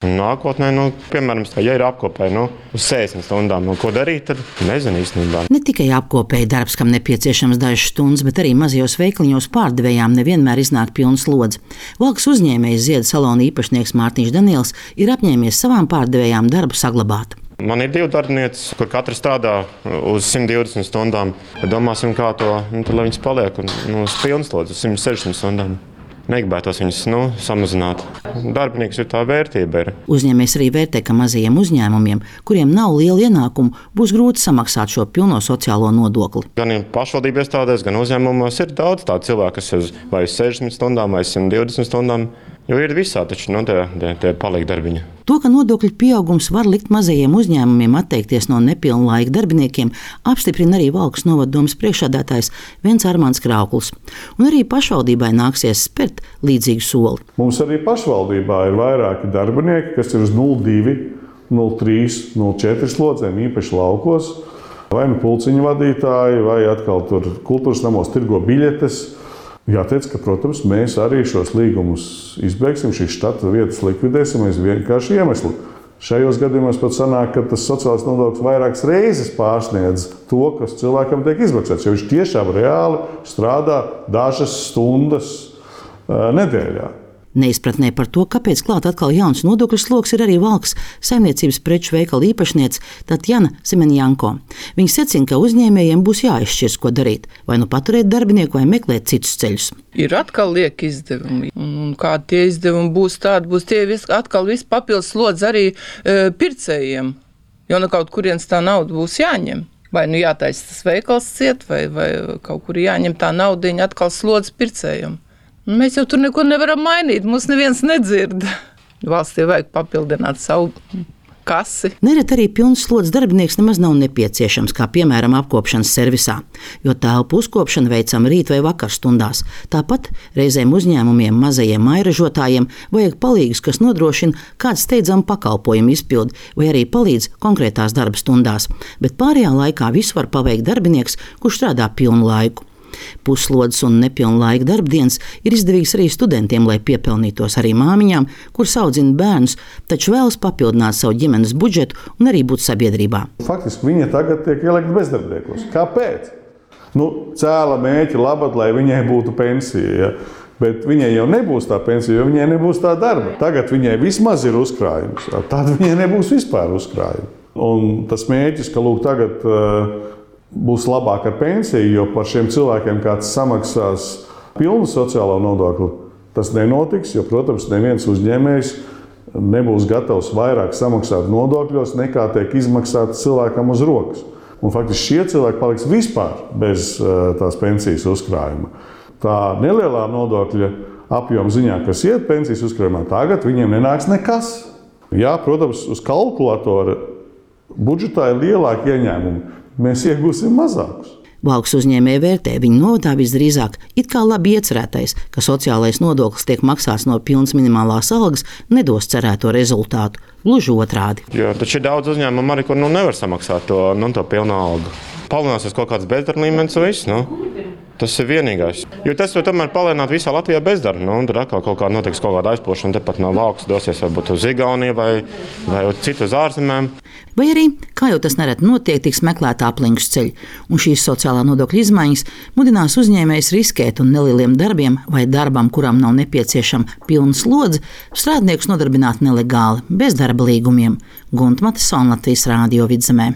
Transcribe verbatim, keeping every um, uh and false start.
Nākotnē, nu, piemēram, ja ir apkopēji nu, uz sešdesmit stundām, nu, ko darīt, tad nezinu īstenībā. Ne tikai apkopēji darbs, kam nepieciešams dažas stundas, bet arī mazajos veikaliņos pārdevējām nevienmēr iznāk pilns slodze. Valkas uzņēmējs Ziedu salona īpašnieks Mārtiņš Daniels ir apņēmies savām pārdevējām darbu saglabāt. Man ir divi darbinieci, kur katrs strādā uz simt divdesmit stundām. Domāsim, kā to, nu, tad, lai viņas paliek un, nu, uz pilnslodzi, uz simt sešdesmit stundām. Negribētos viņus nu, samazināt. Darbinieks ir tā vērtība. Ir. Uzņēmējs arī vērtē, ka mazajiem uzņēmumiem, kuriem nav liela ienākumu, būs grūti samaksāt šo pilno sociālo nodokli. Gan pašvaldību iestādēs, gan uzņēmumos ir daudz tādu cilvēku, kas ir vai uz sešdesmit stundām, vai simt divdesmit stundām. Jo ir visā, taču nu, tie, tie, tie paliek darbiņi. To, ka nodokļu pieaugums var likt mazajiem uzņēmumiem atteikties no nepilnlaika darbiniekiem, apstiprina arī Valkas novaddomes priekšsēdētājs Vents Armāns Krauklis. Un arī pašvaldībai nāksies spērt līdzīgu soli. Mums arī pašvaldībā ir vairāki darbinieki, kas ir uz nulle divi, nulle trīs, nulle četri slodzēm, īpaši laukos. Vai nu pulciņu vadītāji, vai atkal tur kultūras namos tirgo biļetes. Jāteic, ka, protams, mēs arī šos līgumus izbeigsim, šīs štata vietas likvidēsim aiz vienkārši iemeslu. Šajos gadījumos pat sanāk, ka tas sociālais nodoklis vairākas reizes pārsniedz to, kas cilvēkam tiek izmaksāts, jo viņš tiešām reāli strādā dažas stundas uh, nedēļā. Neizpratnē par to, kāpēc klāt atkal jauns nodokļu sloks, ir arī Valkas saimniecības preču veikala īpašniece Tatjana Semenjanko. Viņa secina, ka uzņēmējiem būs jāizšķirs, ko darīt, vai nu paturēt darbinieku, vai meklēt citus ceļus. Ir atkal lieki izdevumi, un kādi tie izdevumi būs tādi, būs tie vis, atkal viss papildus slodzi arī e, pircējiem, jo no kaut kurienes tā nauda būs jāņem. Vai nu jātaisa tas veikals ciet, vai, vai kaut kur jāņem tā naudiņa atkal slodzi pircējiem. Mēs jau tur neko nevaram mainīt, mūs neviens nedzird. Valstī vajag papildināt savu kasi. Nereti arī pilns slodzes darbinieks nemaz nav nepieciešams, kā piemēram apkopšanas servisā, jo telpu uzkopšanu veicam rīt vai vakar stundās. Tāpat reizēm uzņēmumiem, mazajiem mairažotājiem vajag palīgus, kas nodrošina kādu steidzamu pakalpojumu izpildi vai arī palīdz konkrētās darba stundās, bet pārējā laikā visu var paveikt darbinieks, kurš strādā pilnu laiku. Puslodes un nepilnlaika darbdienas ir izdevīgs arī studentiem, lai piepelnītos, arī māmiņām, kuras audzina bērnus, taču vēlas papildināt savu ģimenes budžetu un arī būt sabiedrībā. Faktiski viņa tagad tiek ielikta bezdarbniekos. Kāpēc? Nu, cēla mēķi labad, lai viņai būtu pensija. Ja? Bet viņai jau nebūs tā pensija, jo viņai nebūs tā darba. Tagad viņai vismaz ir uzkrājums, tad viņai nebūs vispār uzkrājumi. Un tas mēķis, ka lūk tagad uh, būs labāk ar pensiju, jo par šiem cilvēkiem kāds samaksās pilnu sociālo nodokli, tas nenotiks, jo, protams, neviens uzņēmējs nebūs gatavs vairāk samaksāt nodokļos, nekā tiek izmaksāts cilvēkam uz rokas. Un faktiski šie cilvēki paliks vispār bez uh, tās pensijas uzkrājuma. Tā nelielā nodokļa apjoma ziņā, kas iet pensijas uzkrājumā, tagad viņiem nenāks nekas. Jā, protams, uz kalkulatora budžetā ir lielāki ieņēmumi. Mēs iegūsim mazākus. Valkas uzņēmēji vērtē, viņu novadā visdrīzāk it kā labi iecerētais, ka sociālais nodoklis tiek maksāts no pilnas minimālās algas, nedos cerēto rezultātu. Gluži otrādi. Jo taču ir daudz uzņēmumu arī, kur nu, nevar samaksāt to, nu, to pilnu algu. Palielināsies kaut kāds bezdarba līmenis un viss. Nu. Tas ir vienīgais. Jo tas var tomēr palielināt visā Latvijā bezdarbu. Nu, tur atkal kaut kā notiks kaut kāda aizplošana, tepat no Valkas dosies varbūt uz Igauniju vai, vai uz citu uz ārzemēm. Vai arī, kā jau tas nereti notiek, tiks meklēta aplinkus ceļi, un šīs sociālā nodokļa izmaiņas mudinās uzņēmējus riskēt un nelieliem darbiem vai darbam, kuram nav nepieciešama pilna slodze, strādniekus nodarbināt nelegāli, bez darba līgumiem. Gunta Matesona, Latvijas Rādio Vidzemē.